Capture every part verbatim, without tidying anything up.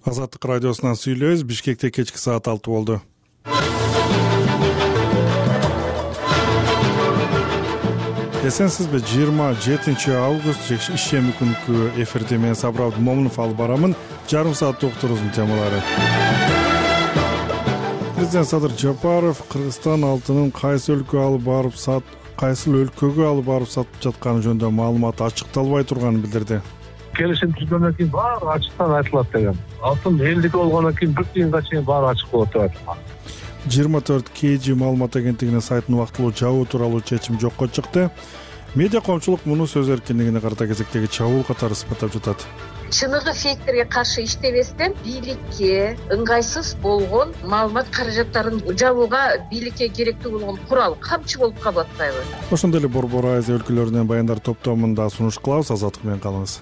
Азаттык радиосунан сүйлөбүз. Бишкекте кечки саат алты болду. Эсенсизби? жыйырма жетинчи август ишемби күнкү эфирде мен Сабыр Момунов алып барамын. Жарым саат уктурузун темалары. Президент Садыр Жапаров Кыргызстан алтынын кайсы өлкөгө алып барып сат, кайсы өлкөгө алып барып сатып жатканы жөнүндө маалымат ачыкталбай турганын билдирди. Келишим түзгөндөн кийин баары ачыктан айтылат деген. Алтын элдик болгондон кийин бир тыйынга чейин баары ачык болот деп айтылган. жыйырма төрт кей жи маалымат агенттигинин сайтын убактылуу жабуу тууралуу чечим жокко чыкты. Медиа коомчулук муну сөз эркиндигине карата кезектеги чабуул катары сыпаттап жатат. Чыныгы фейктерге каршы иштебестен бийликке ыңгайсыз болгон маалымат каражаттарын жабууга бийликке керектүү болгон курал камчы болуп калып атпайбы? Ошондой эле Борбор Азия өлкөлөрүнөн баяндар топтомунда сунуш кылабыз. Азаттык менен калыңыз.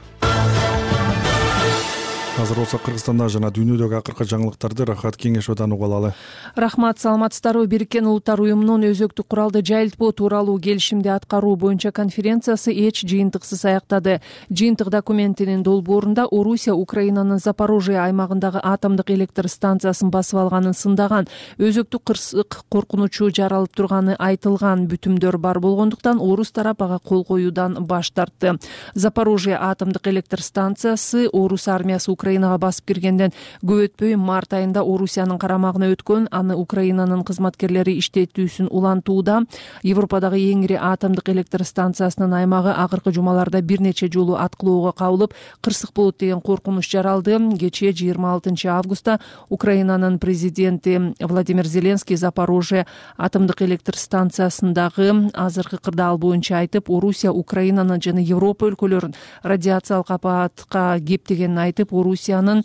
Азыр болсо Кыргызстанда жана дүйнөдөгү акыркы жаңылыктарды Рахат Кеңешовдон угуп алалы. Рахмат, саламатсыздарбы? Бириккен Улуттар уюмунун өзөктүк куралды жайылтпоо тууралуу келишимди аткаруу боюнча конференциясы эч жыйынтыксыз аяктады. Жыйынтык документинин долбоорунда Орусия Украинанын Запорожье аймагындагы атомдук электр станциясын басып алганын сындаган, өзөктүк кырсык коркунучу жаралып турганы айтылган бүтүмдөр бар болгондуктан орус тарап ага кол коюудан баш тартты. Запорожье атомдук электр станциясы орус армиясы Украинага басып киргенден көп өтпөй март айында Орусиянын карамагына өткөн, аны Украинанын кызматкерлери иштетүүсүн улантууда. Европадагы эң ири атомдук электр станциясынын аймагы акыркы жумаларда бир нече жолу аткылоого кабылып, кырсык болот деген коркунуч жаралды. Кечээ жыйырма алтынчы августта Украинанын президенти Владимир Зеленский Запорожье атомдук электр станциясындагы азыркы кырдаал боюнча айтып, Орусия Украинаны жана Европа өлкөлөрүн радиациялык апатка кептегенин айтып, Орусиянын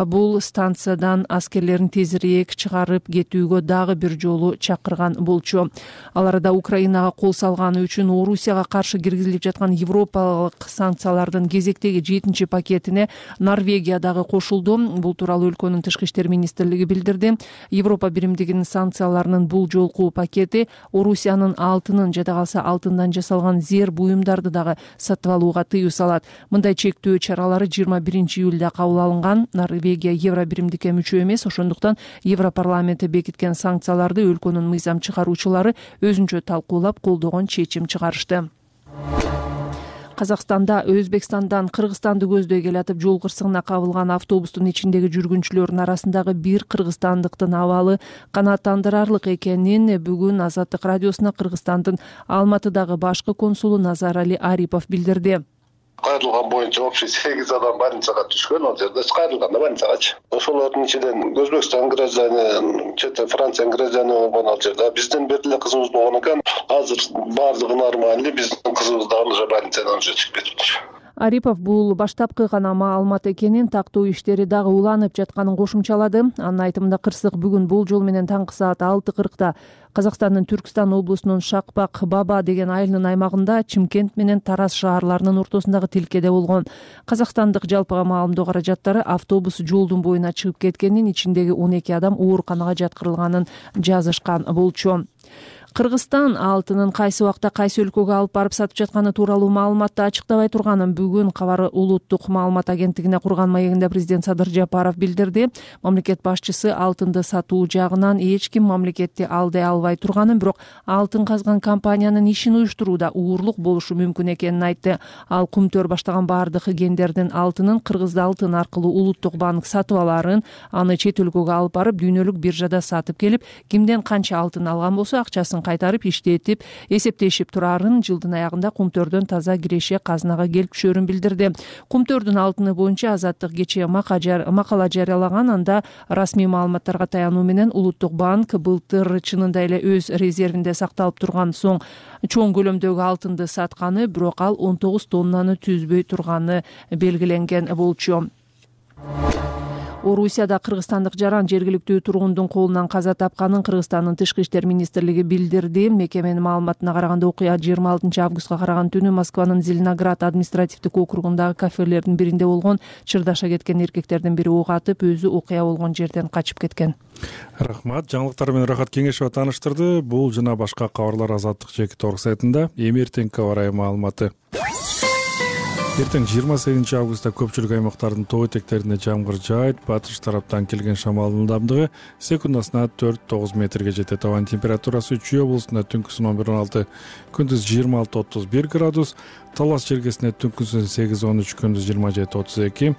бул станциядан аскерлерин тезирээк чыгарып кетүүгө дагы бир жолу чакырган болчу. Ал арада Украинага кол салганы үчүн Орусияга каршы киргизилип жаткан европалык санкциялардын кезектеги жетинчи пакетине Норвегия дагы кошулду. Бул тууралуу өлкөнүн тышкы иштер министрлиги билдирди. Европа биримдигинин санкцияларынын бул жолку пакети Орусиянын алтынын жада калса алтындан жасалган зер буюмдарды дагы сатып алууга тыюу салат. Мындай чектөө чаралары жыйырма биринчи июлда кабыл алынган. Норвегия Евро биримдикке мүчө эмес, ошондуктан Европарламенти бекиткен санкцияларды өлкөнүн мыйзам чыгаруучулары өзүнчө талкуулап колдогон чечим чыгарышты. Казакстанда Өзбекстандан Кыргызстанды көздөй келатып жол кырсыгына кабылган автобустун ичиндеги жүргүнчүлөрдүн арасындагы бир кыргызстандыктын абалы канааттандырарлык экенин бүгүн Азаттык радиосуна Кыргызстандын Алматыдагы башкы консулу Назарали Арипов билдирди. Кайрылган боюнча общий сегиз адам больницага түшкөн, ал жерде кайрылганда больницагачы. Ошолордун ичинен Өзбекстан граждане, чет Франция граждане болгон ал жерде. Биздин бир эле кызыбыз болгон экен. Азыр баардыгы нормально, биздин кызыбыз дагы уже больницадан уже чыгып кетти. Арипов бул баштапкы гана маалымат экенин, тактоо иштери дагы уланып жатканын кошумчалады. Анын айтымында кырсык бүгүн бул жол менен таңкы саат алты кыркта Казакстандын Түркстан облусунун Шакпак Баба деген айылынын аймагында Чимкент менен Тараз шаарларынын ортосундагы тилкеде болгон. Казакстандык жалпыга маалымдоо каражаттары автобус жолдун боюна чыгып кеткенин, ичиндеги он эки адам ооруканага жаткырылганын жазышкан болчу. Кыргызстан алтынын кайсы убакта кайсы өлкөгө алып барып сатып жатканы тууралуу маалыматты ачыктабай турганын бүгүн кабар улуттук маалымат агенттигине курган маегинде президент Садыр Жапаров билдирди. Мамлекет башчысы алтынды сатуу жагынан эч ким мамлекетти алдай албай турганын, бирок алтын казган компаниянын ишин уюштурууда уурлук болушу мүмкүн экенин айтты. Ал Кумтөр баштаган баардык гендердин алтынын Кыргыз алтын аркылуу улуттук банк сатып аларын, аны чет өлкөгө алып барып дүйнөлүк биржада сатып келип, кимден канча алтын алган болсо акчасын кайтарып иштетип эсептешип турарын, жылдын аягында Кумтөрдөн таза киреше казынага келип түшөрүн билдирди. Кумтөрдүн алтыны боюнча Азаттык кечээ макала жарыялаган. Анда расмий маалыматтарга таянуу менен улуттук банк былтыр чынында эле өз резервинде сакталып турган соң чоң көлөмдөгү алтынды сатканы, бирок ал он тогуз тоннаны түзбөй турганы белгиленген болчу. Орусияда кыргызстандык жаран жергиликтүү тургундун колунан каза тапканын Кыргызстандын тышкы иштер министрлиги билдирди. Мекеменин маалыматына караганда окуя жыйырма алтынчы августка караган түнү Москванын Зеленоград административдик округундагы кафелердин биринде болгон. Чырдаша кеткен эркектердин бири ок атып, өзү окуя болгон жерден качып кеткен. Рахмат. Жаңылыктар менен Рахат Кеңешова тааныштырды. Бул жана башка кабарлар Азаттык жеки торг сайтында. Эми эртеңки кабар айы маалыматы. Эртең жыйырма сегизинчи августта көпчүлүк аймактардын тоо этектерине жамгыр жаайт. Батыш тараптан келген шамалдын ылдамдыгы секундасына төрт тогуз метрге жетет. Абанын температурасы Чүй облусунда түнкүсүн он бир он алты, күндүз жыйырма алты отуз бир градус, Талас жергесинде түнкүсүн сегиз он үч, күндүз жыйырма жети отуз эки,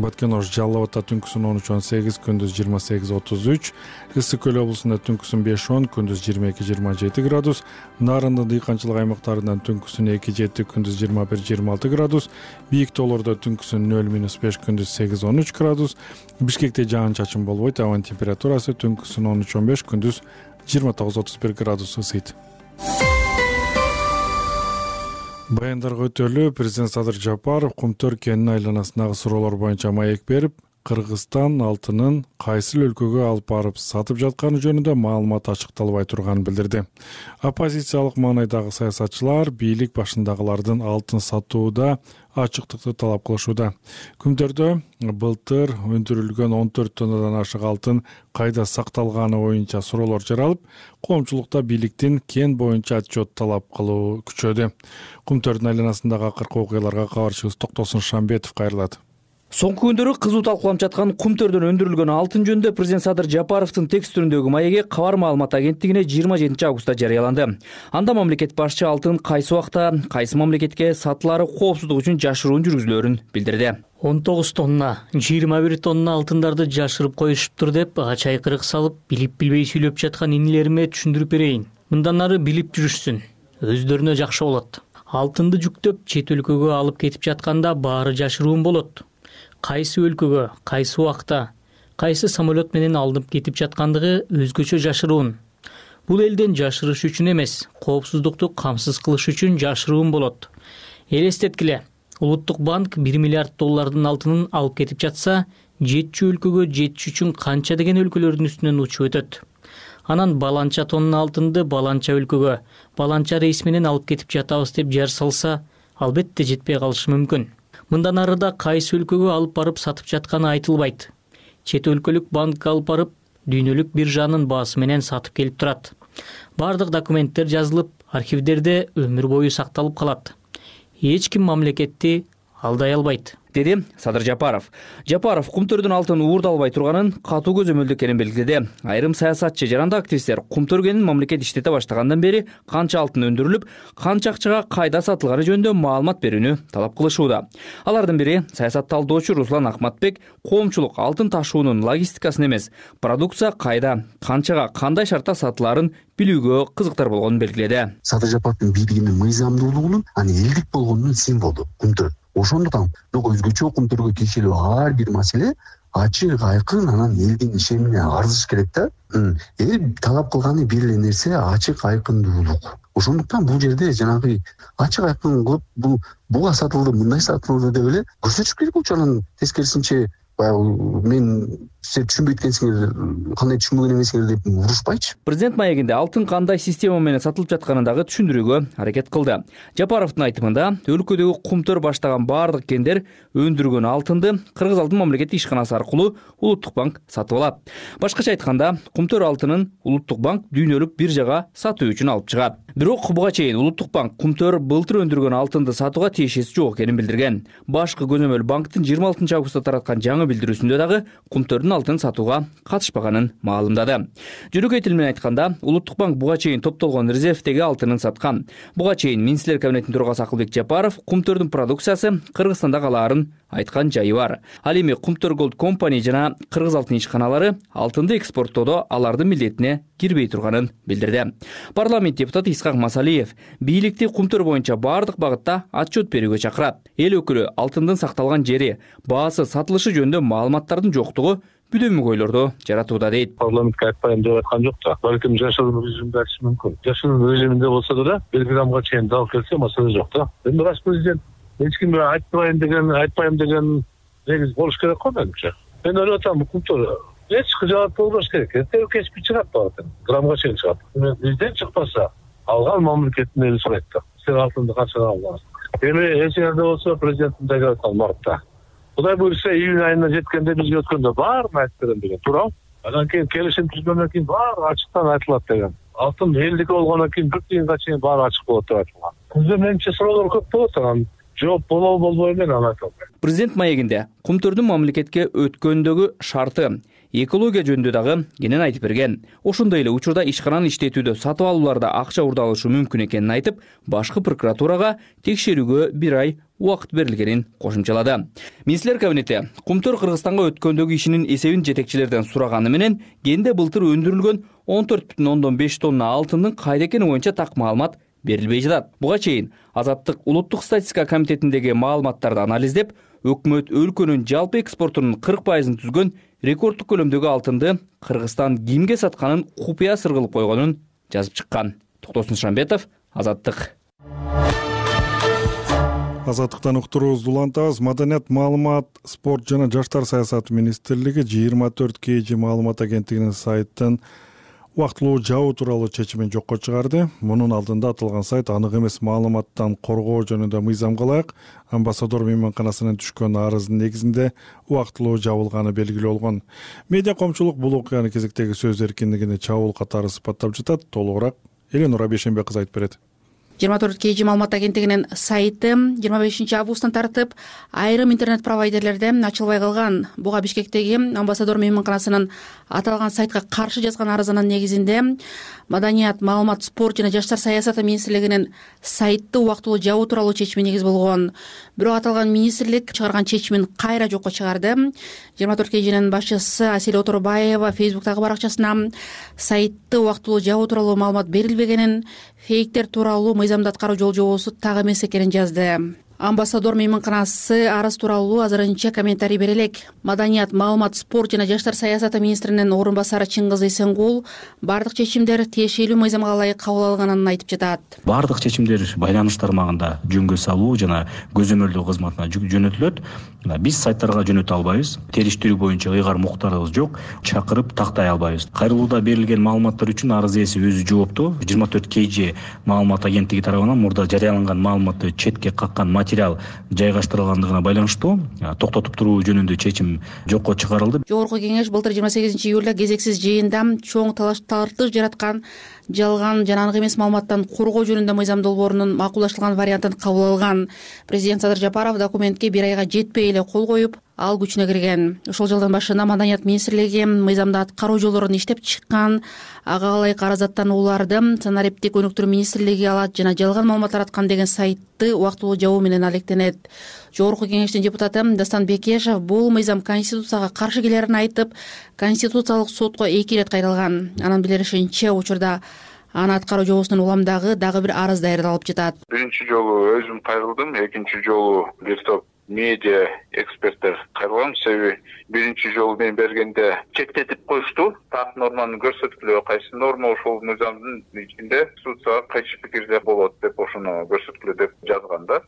Баткен-Ош Жалал Абадта түнкүсүн он үч он сегиз, күндүз жыйырма сегиз отуз үч, Ысык Көл облусунда түнкүсүн беш он, күндүз жыйырма эки жыйырма жети градус, Нарындын дыйканчылык аймактарынан түнкүсүн эки жети, күндүз жыйырма бир жыйырма алты градус, бийик тоолордо түнкүсүн нөл минус беш, күндүз сегиз он үч градус, Бишкекте жаан чачын болбойт. Абанын температурасы түнкүсүн он үч он беш, күндүз жыйырма тогуз отуз бир градус ысыйт. Баяндарга өтөлү президент Садыр Жапаров Кумтөр кенинин айланасындагы суроолор боюнча маек берип, Кыргызстан алтынын кайсы өлкөгө алып барып сатып жатканы жөнүндө маалымат ачыкталбай турганын билдирди. Оппозициялык маанайдагы саясатчылар бийлик башындагылардын алтын сатууда ачыктыкты талап кылышууда. Күмтөрдө былтыр өндүрүлгөн он төрт тоннадан ашык алтын кайда сакталганы боюнча суроолор жаралып, коомчулукта бийликтин кен боюнча отчет талап кылуу күчөдү. Кумтөрдүн айланасындагы акыркы окуяларга кабарчыбыз Токтосун Шамбетов кайрылат. Соңку күндөрү кызуу талкууланып жаткан Кумтөрдөн өндүрүлгөн алтын жөнүндө президент Садыр Жапаровдун текст түрүндөгү маеги Кабар маалымат агенттигине жыйырма жетинчи августта жарыяланды. Анда мамлекет башчы алтын кайсы убакта, кайсы мамлекетке сатылары коопсуздук үчүн жашыруун жүргүзүлөрүн билдирди. он тогуз тонна, жыйырма бир тонна алтындарды жашырып коюшуптур деп ач айкырык салып, билип-билбей сүйлөп жаткан инилериме түшүндүрүп берейин. Мындан ары билип жүрүшсүн. Өздөрүнө жакшы болот. Алтынды жүктөп чет өлкөгө алып кетип жатканда баары жашыруун болот. Кайсы өлкөгө, кайсы убакта, кайсы самолет менен алынып кетип жаткандыгы өзгөчө жашыруун. Бул элден жашырыш үчүн эмес, коопсуздукту камсыз кылыш үчүн жашыруун болот. Элестеткиле, Улуттук банк бир миллиард доллардын алтынын алып кетип жатса, жетчү өлкөгө жетиш үчүн канча деген өлкөлөрдүн үстүнөн учуп өтөт. Анан баланча тонна алтынды баланча өлкөгө, баланча рейс менен алып кетип жатабыз деп жар салса, албетте жетпей калышы мүмкүн. Мындан арыда кайсы өлкөгө алып барып сатып жатканы айтылбайт. Чет өлкөлүк банкка алып барып, дүйнөлүк биржанын баасы менен сатып келип турат. Бардык документтер жазылып, архивдерде өмүр бою сакталып калат. Эч ким мамлекетти алдай албайт, деди Садыр Жапаров. Жапаров Кумтөрдүн алтын уурдалбай турганын катуу көзөмөлдө экенин белгиледи. Айрым саясатчы жана активисттер Кумтөр кенин мамлекет иштете баштагандан бери канча алтын өндүрүлүп, канча акчага кайда сатылганы жөнүндө маалымат берүүнү талап кылышууда. Алардын бири саясат талдоочу Руслан Акматбек коомчулук алтын ташуунун логистикасын эмес, продукция кайда, канчага, кандай шартта сатылаарын билүүгө кызыктар болгонун белгиледи. Садыр Жапаровдун бийлигинин мыйзамдуулугунун, анын элдик болгонунун символу Кумтөр. Ошондуктан өзгөчө Кумтөргө тиешелүү ар бир маселе ачык айкын анан элдин ишенимине арзыш керек да. Эл талап кылганы бир эле нерсе ачык айкындуулук. Ошондуктан бул жерде жанагы ачык айкын кылып бул буга сатылды, мындай сатылды деп эле көрсөтүш керек болчу. Анан тескерисинче баягы мен силер түшүнбөй эткенсиңер, кандай түшүнбөгөн эмесиңер деп урушпайчы. Президент маегинде алтын кандай система менен сатылып жатканын дагы түшүндүрүүгө аракет кылды. Жапаровдун айтымында, өлкөдөгү Кумтөр баштаган баардык кендер өндүргөн алтынды Кыргыз алтын мамлекеттик ишканасы аркылуу Улуттук банк сатып алат. Башкача айтканда, Кумтөр алтынын Улуттук банк дүйнөлүк биржага сатуу үчүн алып чыгат. Бирок буга чейин Улуттук банк Кумтөр былтыр өндүргөн алтынды сатууга тиешеси жок экенин билдирген. Башкы көзөмөл банктын жыйырма алтынчы августта тараткан жаңы билдирүүсүндө дагы Кумтөрдүн алтын сатууга катышпаганын маалымдады. Жөнөкөй тил менен айтканда, Улуттук банк буга чейин топтолгон резервдеги алтынын саткан. Буга чейин Министрлер кабинетинин төрагасы Акылбек Жапаров Кумтөрдүн продукциясы Кыргызстанда калаарын айткан жайы бар. Ал эми Кумтөр Gold Company жана Кыргыз алтын ишканалары алтынды экспорттоодо алардын милдетине кирбей турганын билдирди. Парламент депутаты Исхак Масалиев бийликти Кумтөр боюнча бардык багытта отчет берүүгө чакырат. Эл өкүлү алтындын сакталган жери, баасы, сатылышы жөнүндө маалыматтардын жоктугу бүдөмүк ойлорду жаратууда дейт. Парламентке айтпайм деп айткан жок да. Балким жашыруун режимде айтышы мүмкүн. Жашыруун режиминде болсо да бир граммга чейин дал келсе маселе жок да. Эми рас президент эч кимге айтпайм деген, айтпайм деген негиз болуш керек го менимче. Мен ойлоп атам, Кумтөр эч кыжаат болбош керек. Эртең кечпи чыгат баары. Граммга чейин чыгат. Бизден чыкпаса, алган мамлекеттин эли сурайт да. Сен алтынды канчага алдыңар? Эми эч жерде болсо президенттин деги айткан мартта. Кудай буйрса июнь айына жеткенде бизге өткөндө баарын айтып берем деген туурабы? Анан кийин келишим түзгөндөн кийин баары ачыктан айтылат деген. Алтын элдики болгондон кийин бир тыйынга чейин баары ачык болот деп айтылган. Бизде менимче суроолор көп болот. Анан жооп болобу болбойбу мен аны айта албайм. Президент маегинде кумтөрдүн мамлекетке өткөндөгү шарты, экология жөнүндө дагы кенен айтып берген. Ошондой эле учурда ишкананы иштетүүдө сатып алууларда акча урдалышы мүмкүн экенин айтып, башкы прокуратурага текшерүүгө бир ай убакыт берилгенин кошумчалады. Министрлер кабинети Кумтөр Кыргызстанга өткөндөгү ишинин эсебин жетекчилерден сураганы менен кенде былтыр өндүрүлгөн он төрт бүтүн ондон беш тонна алтындын кайда экени боюнча так маалымат берилбей жатат. Буга чейин Азаттык улуттук статистика комитетиндеги маалыматтарды анализдеп, өкмөт өлкөнүн жалпы экспортунун кырк пайызын түзгөн рекорддук көлөмдөгү алтынды Кыргызстан кимге сатканын купуя сыр кылып койгонун жазып чыккан. Токтосун Шамбетов, Азаттык. Азаттыктан уктуруубузду улантабыз. Маданият, маалымат, спорт жана жаштар саясаты министрлиги жыйырма төрт кей жи маалымат агенттигинин сайтын убактылуу жабуу тууралуу чечимин жокко чыгарды. Мунун алдында аталган сайт анык эмес маалыматтан коргоо жөнүндө мыйзамга ылайык амбассадор мейманканасынын түшкөн арыздын негизинде убактылуу жабылганы белгилүү болгон. Медиа коомчулук бул окуяны кезектеги сөз эркиндигине чабуул катары сыпаттап жатат. Толугураак Эленура Бейшенбек кызы айтып берет. жыйырма төрт кей жи маалымат агенттигинин сайты жыйырма бешинчи августтан тартып айрым интернет провайдерлерде ачылбай калган. Буга Бишкектеги амбассадор мейманканасынын аталган сайтка каршы жазган арызынын негизинде Маданият, маалымат, спорт жана жаштар саясаты министрлигинин сайтты убактылуу жабуу тууралуу чечими негиз болгон. Бирок аталган министрлик чыгарган чечимин кайра жокко чыгарды. жыйырма төрт кей жинин башчысы Асель Оторбаева Фейсбуктагы баракчасына сайтты убактылуу жабуу тууралуу маалымат берилбегенин, фейктер тууралуу мыйзамды аткаруу жол жобосу так эмес экенин жазды. Амбассадор мейманканасы арыз тууралуу азырынча комментарий бере элек. Маданият, маалымат, спорт жана жаштар саясаты министринин орун басары Чыңгыз Эсенгул бардык чечимдер тиешелүү мыйзамга ылайык кабыл алынганын айтып жатат. Бардык чечимдер байланыш тармагында жөнгө салуу жана көзөмөлдөө кызматына жөнөтүлөт. Биз сайттарга жөнөтө албайбыз. Териштирүү боюнча ыйгар муктарыбыз жок. Чакырып тактай албайбыз. Кайрылууда берилген маалыматтар үчүн арыз ээси өзү жоопту. жыйырма төрт кей жи маалымат агенттиги тарабынан мурда жарыяланган маалыматты четке каккан материал жайгаштырылгандыгына байланыштуу токтотуп туруу жөнүндө чечим жокко чыгарылды. Жогорку кеңеш былтыр жыйырма сегизинчи июлда кезексиз жыйында чоң талаш тартыш жараткан жалган жана анык эмес маалыматтан коргоо жөнүндө мыйзам долбоорунун макулдаштырылган вариантын кабыл алган. Президент Садыр Жапаров документке бир айга жетпей эле кол коюп, ал күчүнө кирген. Ошол жылдын башында Маданият министрлиги мыйзамды аткаруу жолдорун иштеп чыккан, ага ылайык арыздаттанууларды санариптик өнүктүрүү министрлиги алат жана жалган маалымат тараткан деген сайтты убактылуу жабуу менен алектенет. Жогорку кеңештин депутаты Дастан Бекешев бул мыйзам Конституцияга каршы келерин айтып, Конституциялык сотко эки ирет кайрылган. Анын билдиришинче, учурда аны аткаруу жобосунун уламдагы дагы бир арыз даярдалып жатат. Биринчи жолу өзүм кайрылдым, экинчи жолу бир топ медиа эксперттер кайрылган. Себеби биринчи жолу мен бергенде чектетип коюшту. Так норманы көрсөткүлө, кайсы норма ошол мыйзамдын ичинде Конституцияга кайшы пикирде болот деп ошону көрсөткүлө деп жазганда.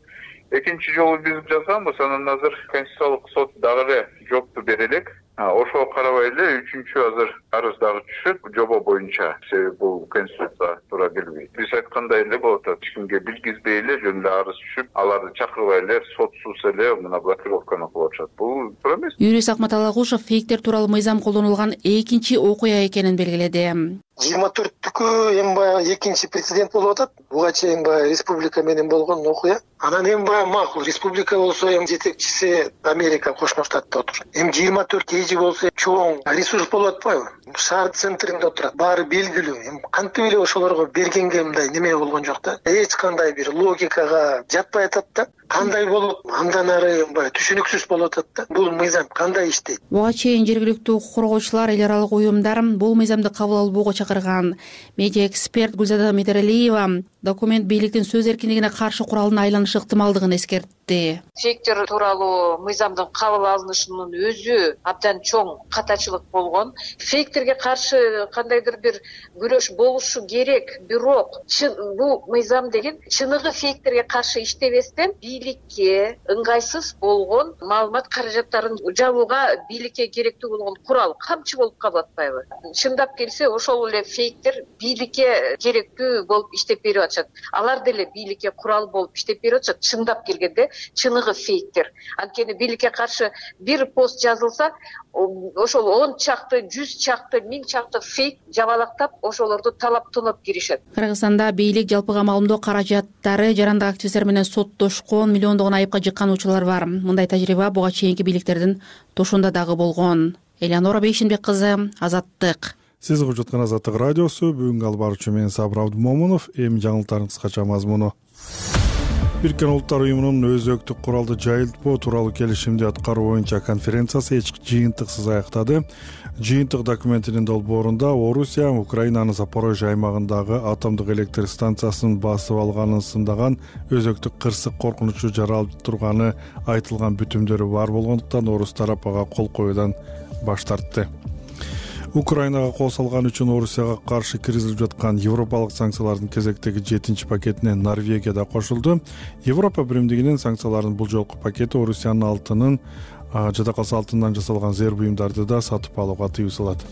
Экинчи жолу биз жазганбыз, анан азыр Конституциялык сот дагы эле жоопту бере элек. Ошого карабай эле үчүнчү азыр арыз дагы түшөт жобо боюнча. Себеби бул Конституция туура келбейт. Биз айткандай эле болот, эч кимге билгизбей эле жөн эле арыз түшүп, аларды чакырбай эле сотсуз эле мына блокировканы кылып атышат. Бул туура эмес. Юрист Акмат Алагушев фейктер тууралуу мыйзам колдонулган экинчи окуя экенин белгиледи. жыйырма төрттүкү эми баягы экинчи прецедент болуп атат. Буга чейин баягы республика менен болгон окуя. Анан эми баягы макул, республика болсо эми жетекчиси Америка Кошмо Штатта отурат. Эми жыйырма төрт кей жи болсо чоң ресурс болуп атпайбы? Шаар центринде отурат. Баары белгилүү. Эми кантип эле ошолорго бергенге мындай неме болгон жок да. Эч кандай бир логикага жатпай атат да. Кандай болот? Андан ары баягы түшүнүксүз болуп атат да. Бул мыйзам кандай иштейт? Буга чейин жергиликтүү укук коргоочулар, эл аралык уюмдар бул мыйзамды кабыл албоого чакырган. Медиа эксперт Гүлзада Медералиева документ бийликтин сөз эркиндигине каршы куралына айланышы ыктымалдыгын эскертти. Фейктер тууралуу мыйзамдын кабыл алынышынын өзү абдан чоң катачылык болгон. Фейктерге каршы кандайдыр бир күрөш болушу керек, бирок бул мыйзам деген чыныгы фейктерге каршы иштебестен бийликке ыңгайсыз болгон маалымат каражаттарын жабууга бийликке керектүү болгон курал, камчы болуп калып атпайбы? Чындап келсе, ошол эле фейктер бийликке керектүү болуп иштеп берип атышат. Алар деле бийликке курал болуп иштеп берип атышат. Чындап келгенде чыныгы фейктер. Анткени бийликке каршы бир пост жазылса, ошол он чакты, жүз чакты, миң чакты фейк жабалактап ошолорду талап тонап киришет. Кыргызстанда бийлик жалпыга маалымдоо каражаттары жарандык активисттер менен соттошкон, миллиондогон айыпка жыккан учурлар бар. Мындай тажрыйба буга чейинки бийликтердин тушунда дагы болгон. Элеонора Бейшенбек кызы, Азаттык. Сиз угуп жаткан Азаттык радиосу. Бүгүнкү алып баруучу мен Сабыр Абдумомунов. Эми жаңылыктардын кыскача мазмуну. Бириккен Улуттар уюмунун өзөктүк куралды жайылтпоо тууралуу келишимди аткаруу боюнча конференциясы эч жыйынтыксыз аяктады. Жыйынтык документинин долбоорунда Орусия Украинанын Запорожье аймагындагы атомдук электр станциясын басып алганын сындаган өзөктүк кырсык коркунучу жаралып турганы айтылган бүтүмдөрү бар болгондуктан орус тарап ага кол коюудан баш тартты. Украинага кол салган үчүн Орусияга каршы киргизилип жаткан европалык санкциялардын кезектеги жетинчи пакетине Норвегия да кошулду. Европа биримдигинин санкцияларынын бул жолку пакети Орусиянын алтынын, жада калса алтындан жасалган зер буюмдарды да сатып алууга тыюу салат.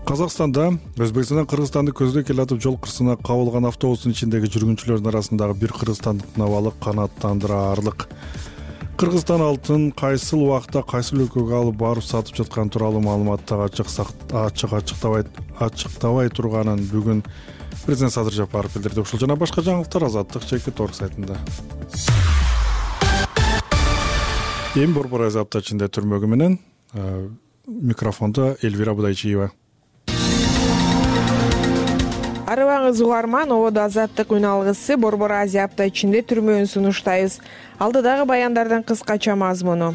Казакстанда Өзбекстандан Кыргызстанды көздөй келатып жол кырсына кабылган автобустун ичиндеги жүргүнчүлөрдүн арасындагы бир кыргызстандык абалы канааттандыраарлык. Кыргызстан алтын кайсыл убакта кайсыл өлкөгө алып барып сатып жаткан тууралуу маалыматты ачык ачык ачыктабай ачыктабай турганын бүгүн президент Садыр Жапаров билдирди. Ушул жана башка жаңылыктар Азаттык чекит орг сайтында. Эми Борбор Азапта ичинде түрмөгү менен микрофондо Элвира Будайчиева. Арыбаңыз угарман, ободо Азаттык үн алгысы Борбор Азия апта ичинде түрмөөн сунуштайбыз. Алдыдагы баяндардын кыскача мазмуну.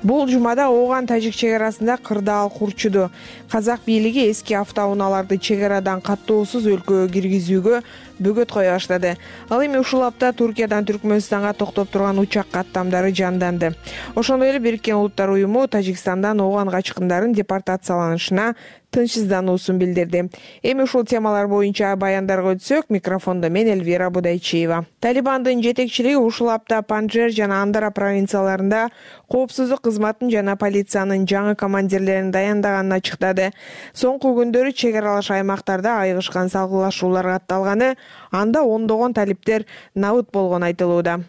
Бул жумада Ооган Тажик чек арасында кырдаал курчуду. Казак бийлиги эски автоунааларды чек арадан каттоосуз өлкөгө киргизүүгө бөгөт кое баштады. Ал эми ушул апта Туркиядан Түркмөнстанга токтоп турган учак каттамдары жанданды. Ошондой эле Бириккен Улуттар уюму Тажикстандан Ооган качкындарын депортацияланышына тынчсыздануусун билдирди. Эми ушул темалар боюнча баяндарга өтсөк, микрофондо мен Элвира Будайчиева. Талибандын жетекчилиги ушул апта Панжшер жана Андара провинцияларында коопсуздук кызматын жана полициянын жаңы командирлерин даяндаганын ачыктады. Соңку күндөрү чек аралаш аймактарда айыгышкан салгылашуулар катталганы, анда ондогон талиптер набыт болгону айтылууда.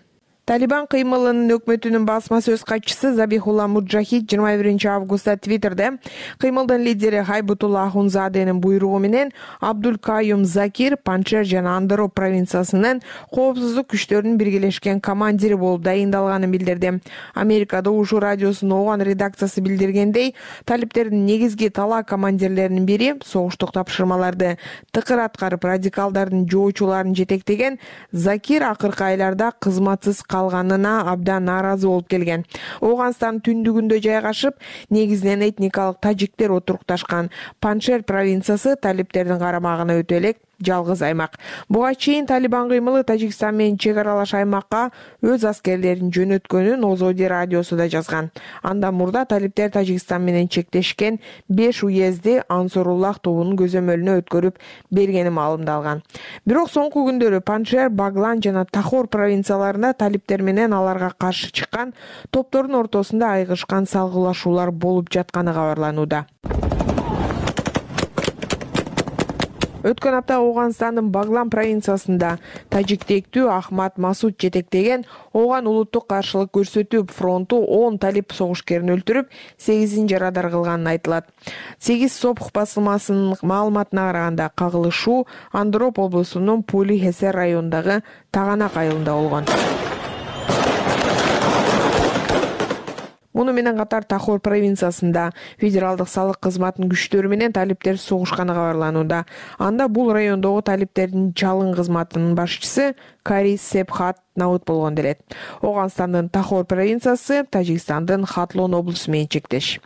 Талибан кыймылынын өкмөтүнүн басма сөз катчысы Забихулла Муджахид жыйырма биринчи августта Твиттерде кыймылдын лидери Хайбутулла Ахунзаденин буйругу менен Абдул Каюм Закир Панжшер жана Андоро провинциясынын коопсуздук күчтөрүнүн биргелешкен командири болуп дайындалганын билдирди. Америкада Ушу радиосунун Ооган редакциясы билдиргендей, талиптердин негизги талаа командирлеринин бири согуштук тапшырмаларды тыкыр аткарып радикалдардын жоочуларын жетектеген Закир акыркы айларда кызматсыз калганына абдан нааразы болуп келген. Ооганстандын түндүгүндө жайгашып, негизинен этникалык тажиктер отурукташкан Панжшер провинциясы талиптердин карамагына өтө элек жалгыз аймак. Буга чейин Талибан кыймылы Тажикстан менен чек аралаш аймакка өз аскерлерин жөнөткөнүн Озоди радиосу да жазган. Андан мурда талиптер Тажикстан менен чектешкен беш уезди Ансоруллах тобунун көзөмөлүнө өткөрүп бергени маалымдалган. Бирок соңку күндөрү Панжшер, Баглан жана Тахор провинцияларында талиптер менен аларга каршы чыккан топтордун ортосунда айыгышкан салгылашуулар болуп жатканы кабарланууда. Өткөн апта Ооганстандын Баглан провинциясында тажиктектүү Ахмат Масуд жетектеген Ооган улуттук каршылык көрсөтүү фронту он талип согушкерин өлтүрүп, сегизин жарадар кылганын айтылат. сегиз Сопх басылмасынын маалыматына караганда кагылышуу Андроп облусунун Пули Хесер районундагы Таганак айылында болгон. Муну менен катар Тахор провинциясында федералдык салык кызматынын күчтөрү менен талиптер согушканы кабарланууда. Анда бул райондогу талиптердин чалын кызматынын башчысы Кари Сепхат набыт болгон делет. Ооганстандын Тахор провинциясы Тажикстандын Хатлон облусу менен чектеш.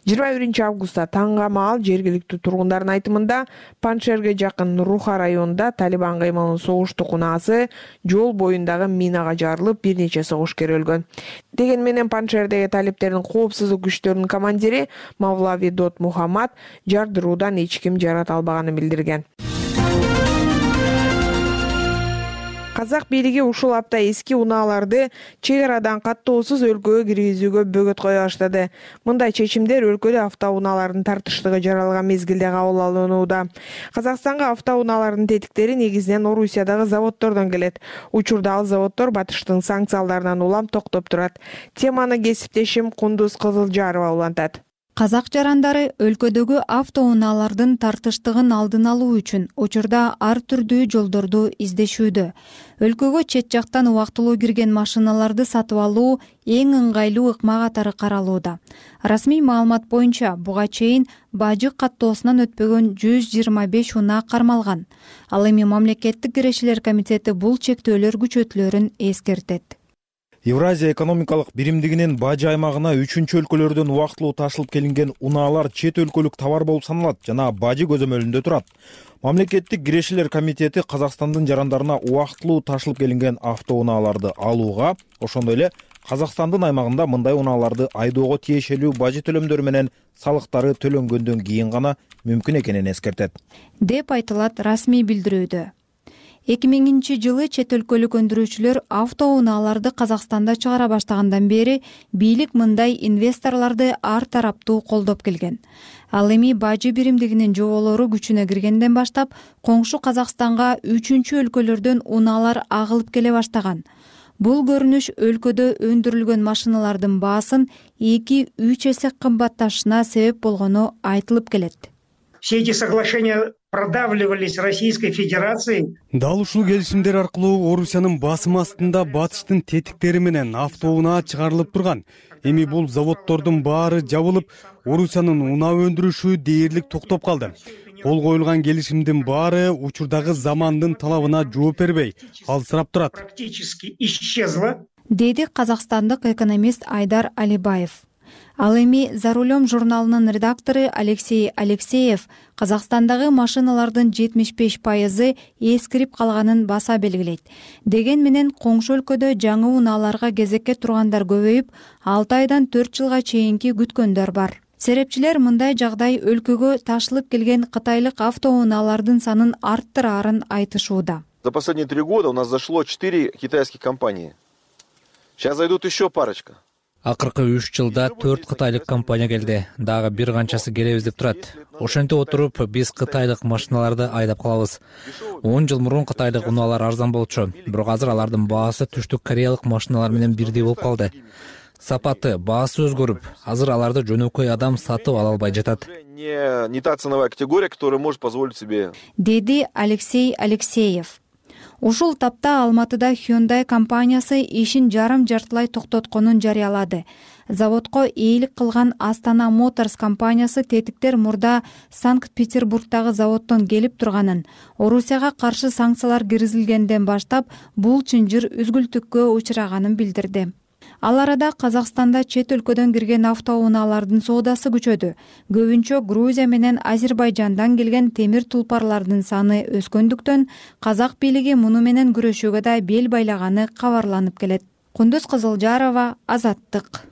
жыйырма биринчи августта таңга маал жергиликтүү тургундардын айтымында Панжшерге жакын Руха районунда Талибан кыймылынын согуштук унаасы жол боюндагы минага жарылып, бир нече согушкер өлгөн. Деген менен Панжшердеги талиптердин коопсуздук күчтөрүнүн командири Мавлави Дот Мухаммад жардыруудан эч ким жарат албаганын билдирген. казак бийлиги ушул апта эски унааларды чек арадан каттоосуз өлкөгө киргизүүгө бөгөт кое баштады. Мындай чечимдер өлкөдө автоунаалардын тартыштыгы жаралган мезгилде кабыл алынууда. Казакстанга автоунаалардын тетиктери негизинен Орусиядагы заводдордон келет. Учурда ал заводдор Батыштын санкцияларынан улам токтоп турат. Теманы кесиптешим Кундуз Кызылжарова улантат. Казак жарандары өлкөдөгү автоунаалардын тартыштыгын алдын алуу үчүн учурда ар түрдүү жолдорду издешүүдө. Өлкөгө чет жактан убактылуу кирген машиналарды сатып алуу эң ыңгайлуу ыкма катары каралууда. Расмий маалымат боюнча буга чейин бажы каттоосунан өтпөгөн жүз жыйырма беш унаа кармалган. Ал эми мамлекеттик кирешелер комитети бул чектөөлөр күчөтүлөрүн эскертет. Евразия экономикалык биримдигинин бажы аймагына үчүнчү өлкөлөрдөн убактылуу ташылып келинген унаалар чет өлкөлүк товар болуп саналат жана бажы көзөмөлүндө турат. Мамлекеттик кирешелер комитети Казакстандын жарандарына убактылуу ташылып келинген автоунааларды алууга, ошондой эле Казакстандын аймагында мындай унааларды айдоого тиешелүү бажы төлөмдөрү менен салыктары төлөнгөндөн кийин гана мүмкүн экенин эскертет, деп айтылат расмий билдирүүдө. эки миңинчи жылы чет өлкөлүк өндүрүүчүлөр автоунааларды Казакстанда чыгара баштагандан бери бийлик мындай инвесторлорду ар тараптуу колдоп келген. Ал эми бажы биримдигинин жоболору күчүнө киргенден баштап коңшу Казакстанга үчүнчү өлкөлөрдөн унаалар агылып келе баштаган. Бул көрүнүш өлкөдө өндүрүлгөн машиналардын баасын эки үч эсе кымбатташына себеп болгону айтылып келет. Все эти соглашения продавливались Российской Федерацией. Дал ушул келишимдер аркылуу Орусиянын басым астында Батыштын тетиктери менен автоунаа чыгарылып турган. Эми бул заводдордун баары жабылып, Орусиянын унаа өндүрүшү дээрлик токтоп калды. Кол коюлган келишимдин баары учурдагы замандын талабына жооп бербей, алсырап турат. Практически исчезла, деди казакстандык экономист Айдар Алибаев. Ал эми «За рулем» журналынын редактору Алексей Алексеев Казакстандагы машиналардын жетимиш беш пайызы эскирип калганын баса белгилейт. Деген менен коңшу өлкөдө жаңы унааларга кезекке тургандар көбөйүп, алты айдан төрт жылга чейинки күткөндөр бар. Серепчилер мындай жагдай өлкөгө ташылып келген кытайлык автоунаалардын санын арттырарын айтышууда. За последние три года у нас зашло четыре китайских компании. Сейчас зайдут еще парочка. Акыркы үч жылда төрт кытайлык компания келди. Дагы бир канчасы келебиз деп турат. Ошентип отуруп, биз кытайлык машиналарды айдап калабыз. он жыл мурун кытайлык унаалар арзан болчу, бирок азыр алардын баасы түштүк кореялык машиналар менен бирдей болуп калды. Сапаты, баасы өзгөрүп, азыр аларды жөнөкөй адам сатып ала албай жатат. Не, не та ценовая категория, которая может позволить себе. Деди Алексей Алексеев. Ушул тапта Алматыда Hyundai компаниясы ишин жарым-жартылай токтотконун жарыялады. Заводко ээлик кылган Астана Моторс компаниясы тетиктер мурда Санкт-Петербургдагы заводдон келип турганын, Орусияга каршы санкциялар киргизилгенден баштап бул чынжыр үзгүлтүккө учураганын билдирди. Ал арада Казакстанда чет өлкөдөн кирген автоунаалардын соодасы күчөдү. Көбүнчө Грузия менен Азербайжандан келген темир тулпарлардын саны өскөндүктөн казак бийлиги муну менен күрөшүүгө да бел байлаганы кабарланып келет. Кундуз Кызылжарова, Азаттык.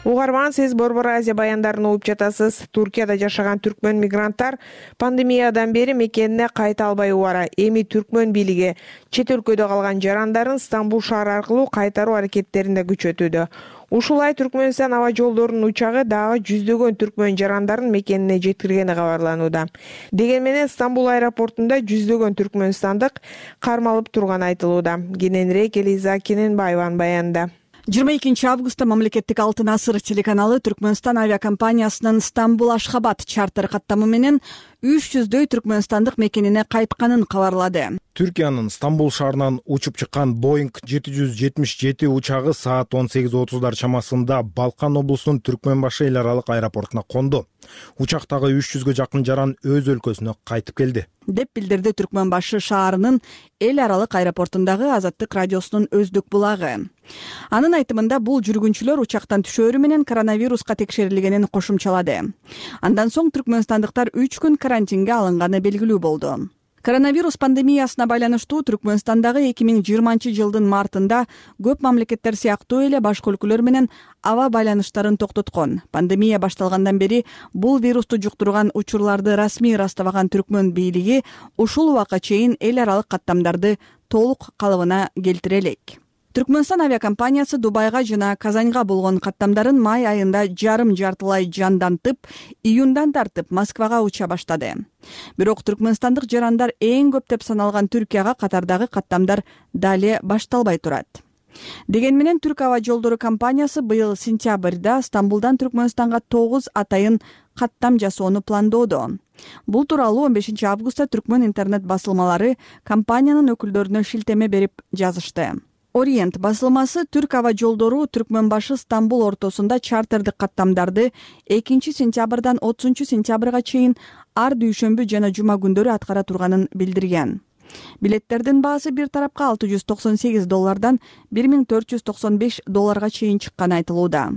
Угарман, сиз Борбор Азия баяндарын угуп жатасыз. Туркияда жашаган түркмөн мигранттар пандемиядан бери мекенине кайта албай убара. Эми түркмөн бийлиги чет өлкөдө калган жарандарын Стамбул шаары аркылуу кайтаруу аракеттеринде күчөтүүдө. Ушулай Түркмөнстан аба жолдорунун учагы дагы жүздөгөн түркмөн жарандарын мекенине жеткиргени кабарланууда. Деген менен Стамбул аэропортунда жүздөгөн түркмөнстандык кармалып турганы айтылууда. Кененирээк Элиза Кененбаеванын баянында. жыйырма экинчи августта мамлекеттик Алтын асыр телеканалы Түркмөнстан авиакомпаниясынын Стамбул Ашхабад чартер каттамы менен үч жүздөй түркмөнстандык мекенине кайтканын кабарлады. Түркиянын Стамбул шаарынан учуп чыккан Боинг жети жүз жетимиш жети учагы саат он сегиз отуздар чамасында Балкан облусунун Түркмөнбашы эл аралык аэропортуна конду. Учактагы үч жүзгө жакын жаран өз өлкөсүнө кайтып келди, деп билдирди Түркмөнбашы шаарынын эл аралык аэропортундагы Азаттык радиосунун өздүк булагы. Анын айтымында бул жүргүнчүлөр учактан түшөөрү менен коронавируска текшерилгенин кошумчалады. Андан соң түркмөнстандыктар үч күн карантинге алынганы белгилүү болду. коронавирус пандемиясына байланыштуу Түркмөнстандагы эки миң жыйырманчы жылдын мартында көп мамлекеттер сыяктуу эле башка өлкөлөр менен аба байланыштарын токтоткон. Пандемия башталгандан бери бул вирусту жуктурган учурларды расмий ырастабаган Түркмөн бийлиги ушул убакка чейин эл аралык каттамдарды толук калыбына келтире элек. Түркмөнстан авиакомпаниясы Дубайга жана Казаньга болгон каттамдарын май айында жарым жартылай жандантып, июндан тартып Москвага уча баштады. Бирок түркмөнстандык жарандар эң көп деп саналган Түркияга катардагы каттамдар дале башталбай турат. Деген менен Түрк аба жолдору компаниясы быйыл сентябрда Стамбулдан Түркмөнстанга тогуз атайын каттам жасоону пландоодо. Бул тууралуу он бешинчи августта Түркмөн интернет басылмалары компаниянын өкүлдөрүнө шилтеме берип жазышты. Ориент басылмасы Түрк аба жолдору Түркмөнбашы Стамбул ортосунда чартердик каттамдарды экинчи сентябрдан отузунчу сентябрга чейин ар дүйшөмбү жана жума күндөрү аткара турганын билдирген. Билеттердин баасы бир тарапка алты жүз токсон сегиз доллардан бир миң төрт жүз токсон беш долларга чейин чыкканы айтылууда.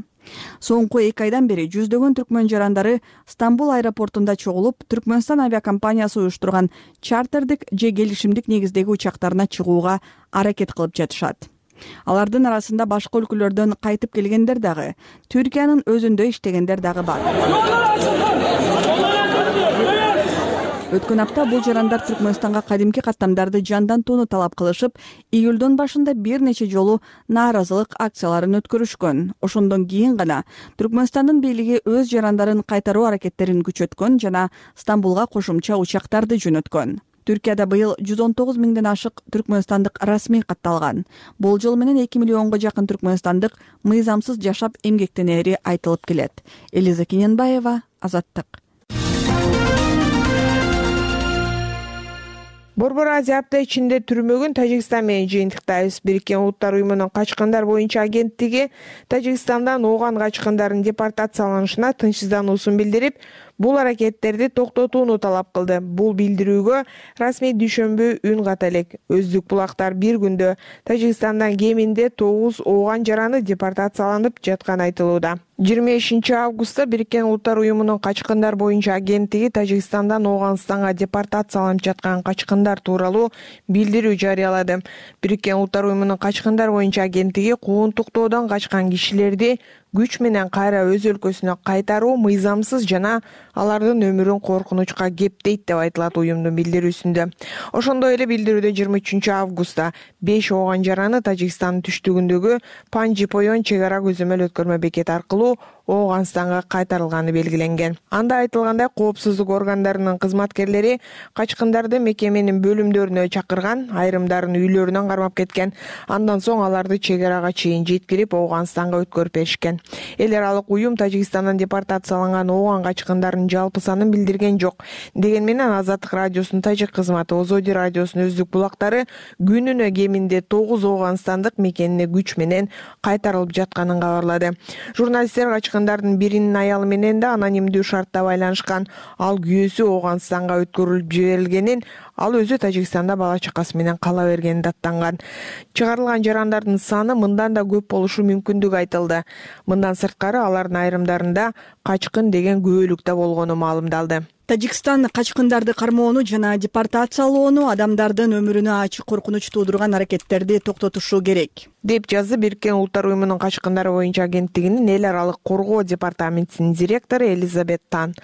Соңку эки айдан бери жүздөгөн түркмөн жарандары Стамбул аэропортунда чогулуп, Түркмөнстан авиакомпаниясы уюштурган чартердик же келишимдик негиздеги учактарына чыгууга аракет кылып жатышат. Алардын арасында башка өлкөлөрдөн кайтып келгендер дагы, Түркиянын өзүндө иштегендер дагы бар. Өткөн апта бул жарандар Түркмөнстанга кадимки каттамдарды жандантууну талап кылышып, июлдун башында бир нече жолу нааразылык акцияларын өткөрүшкөн. Ошондон кийин гана Түркмөнстандын бийлиги өз жарандарын кайтаруу аракеттерин күчөткөн жана Стамбулга кошумча учактарды жөнөткөн. Түркияда быйыл жүз он тогуз миңден ашык түркмөнстандык расмий катталган. Болжол менен эки миллионго жакын түркмөнстандык мыйзамсыз жашап эмгектенери айтылып келет. Элиза Кененбаева, Азаттык. Борбор Азия апта ичинде түрмөгүн Тажикстан менен жыйынтыктайбыз. Бириккен Улуттар уюмунун качкындар боюнча агенттиги Тажикстандан Ооган качкындардын депортацияланышына тынчсыздануусун билдирип, бул аракеттерди токтотууну талап кылды. Бул билдирүүгө расмий дүйшөмбү үн ката элек. Өздүк булактар бир күндө Тажикстандан кеминде тогуз Ооган жараны депортацияланып жатканы айтылууда. жыйырма бешинчи августта Бириккен Улуттар уюмунун качкындар боюнча агенттиги Тажикстандан Ооганстанга депортацияланып жаткан качкындар тууралуу билдирүү жарыялады. Бириккен Улуттар уюмунун качкындар боюнча агенттиги куугунтуктоодон качкан кишилерди күч менен кайра өз өлкөсүнө кайтаруу мыйзамсыз жана алардын өмүрүн коркунучка кептейт деп айтылат уюмдун билдирүүсүндө. Ошондой эле билдирүүдө жыйырма үчүнчү августта беш Ооган жараны Тажикстандын түштүгүндөгү Панжипоен чек ара көзөмөл өткөрмө бекети аркылуу Ооганстанга кайтарылганы белгиленген. Анда айтылгандай, коопсуздук органдарынын кызматкерлери качкындарды мекеменин бөлүмдөрүнө чакырган, айрымдарын үйлөрүнөн кармап кеткен. Андан соң аларды чек арага чейин жеткирип Ооганстанга өткөрүп беришкен. Эл аралык уюм Тажикстандан депортацияланган Ооган качкындарынын жалпы санын билдирген жок. Деген менен Азаттык радиосунун тажик кызматы Озоди радиосунун өздүк булактары күнүнө кеминде тогуз Ооганстандык мекенине күч менен кайтарылып жатканын кабарлады. Журналисттер качкындардын биринин аялы менен да анонимдүү шартта байланышкан. Ал күйөөсү Ооганстанга өткөрүлүп жиберилгенин, ал өзү Тажикстанда бала чакасы менен кала бергенин даттанган. Чыгарылган жарандардын саны мындан да көп болушу мүмкүндүгү айтылды. Мындан сырткары алардын айрымдарында качкын деген күбөлүктө болгону маалымдалды. Тажикстан качкындарды кармоону жана депортациялоону, адамдардын өмүрүнө ачык коркунуч туудурган аракеттерди токтотушу керек, деп жазды Бириккен Улуттар уюмунун качкындар боюнча агенттигинин эл аралык коргоо департаментинин директору Элизабет Тан.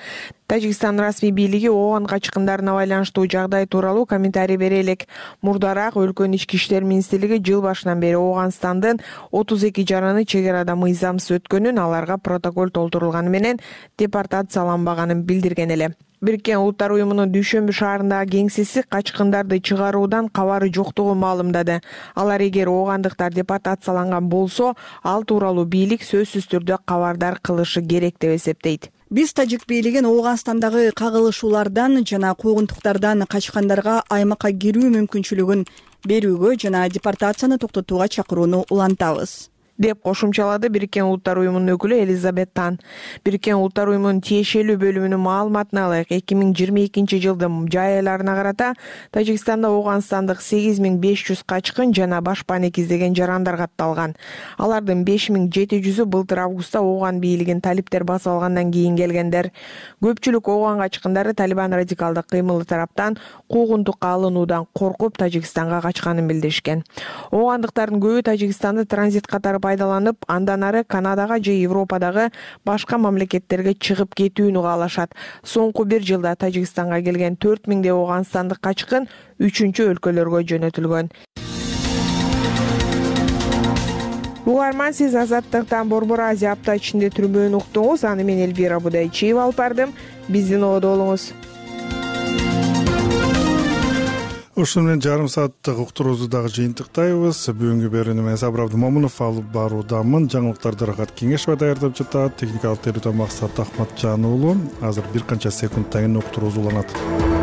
Тажикстан расмий бийлиги Ооган качкындарына байланыштуу жагдай тууралуу комментарий бере элек. Мурдараак өлкөнүн ички иштер министрлиги жыл башынан бери Ооганстандын отуз эки жараны чек арада мыйзамсыз өткөнүн, аларга протокол толтурулганы менен депортацияланбаганын билдирген эле. Бириккен Улуттар уюмунун Дүйшөмбү шаарындагы кеңсеси качкындарды чыгаруудан кабары жоктугун маалымдады. Алар эгер оогандыктар депортацияланган болсо, ал тууралуу бийлик сөзсүз түрдө кабардар кылышы керек деп эсептейт. Биз тажик бийлигин Ооганстандагы кагылышуулардан жана куугунтуктардан качкандарга аймакка кирүү мүмкүнчүлүгүн берүүгө жана депортацияны токтотууга чакырууну улантабыз. деп кошумчалады Бириккен Улуттар уюмунун өкүлү Элизабет Тан. Бириккен Улуттар уюмунун тиешелүү бөлүмүнүн маалыматына ылайык эки миң жыйырма экинчи жылдын жай айларына карата Тажикстанда Ооганстандык сегиз миң беш жүз качкын жана башпаанек издеген жарандар катталган. Алардын беш миң жети жүзү былтыр августта Ооган бийлигин талиптер басып алгандан кийин келгендер. Көпчүлүк Ооган качкындары Талибан радикалдык кыймылы тараптан куугунтукка алынуудан коркуп Тажикстанга качканын билдиришкен. Оогандыктардын көбү Тажикстанды транзит катары пайдаланып, андан ары Канадага же Европадагы башка мамлекеттерге чыгып кетүүнү каалашат. Соңку бир жылда Тажикстанга келген төрт миңдей Ооганстандык качкын үчүнчү өлкөлөргө жөнөтүлгөн. Угарман, сиз Азаттыктан Борбор Азия апта ичинде түрмөөнү уктуңуз. Аны мен Эльвира Будайчиева алып бардым. Биздин ободо болуңуз. Ушуну менен жарым сааттык уктуруубузду дагы жыйынтыктайбыз. Бүгүнкү берүүнү мен Сабыр Абдымомунов алып баруудамын. Жаңылыктарды Рахат Кеңешова даярдап жатат. Техникалык терүүдөн Максат Ахматжан уулу. Азыр бир канча секундтан кийин уктуруубуз уланат.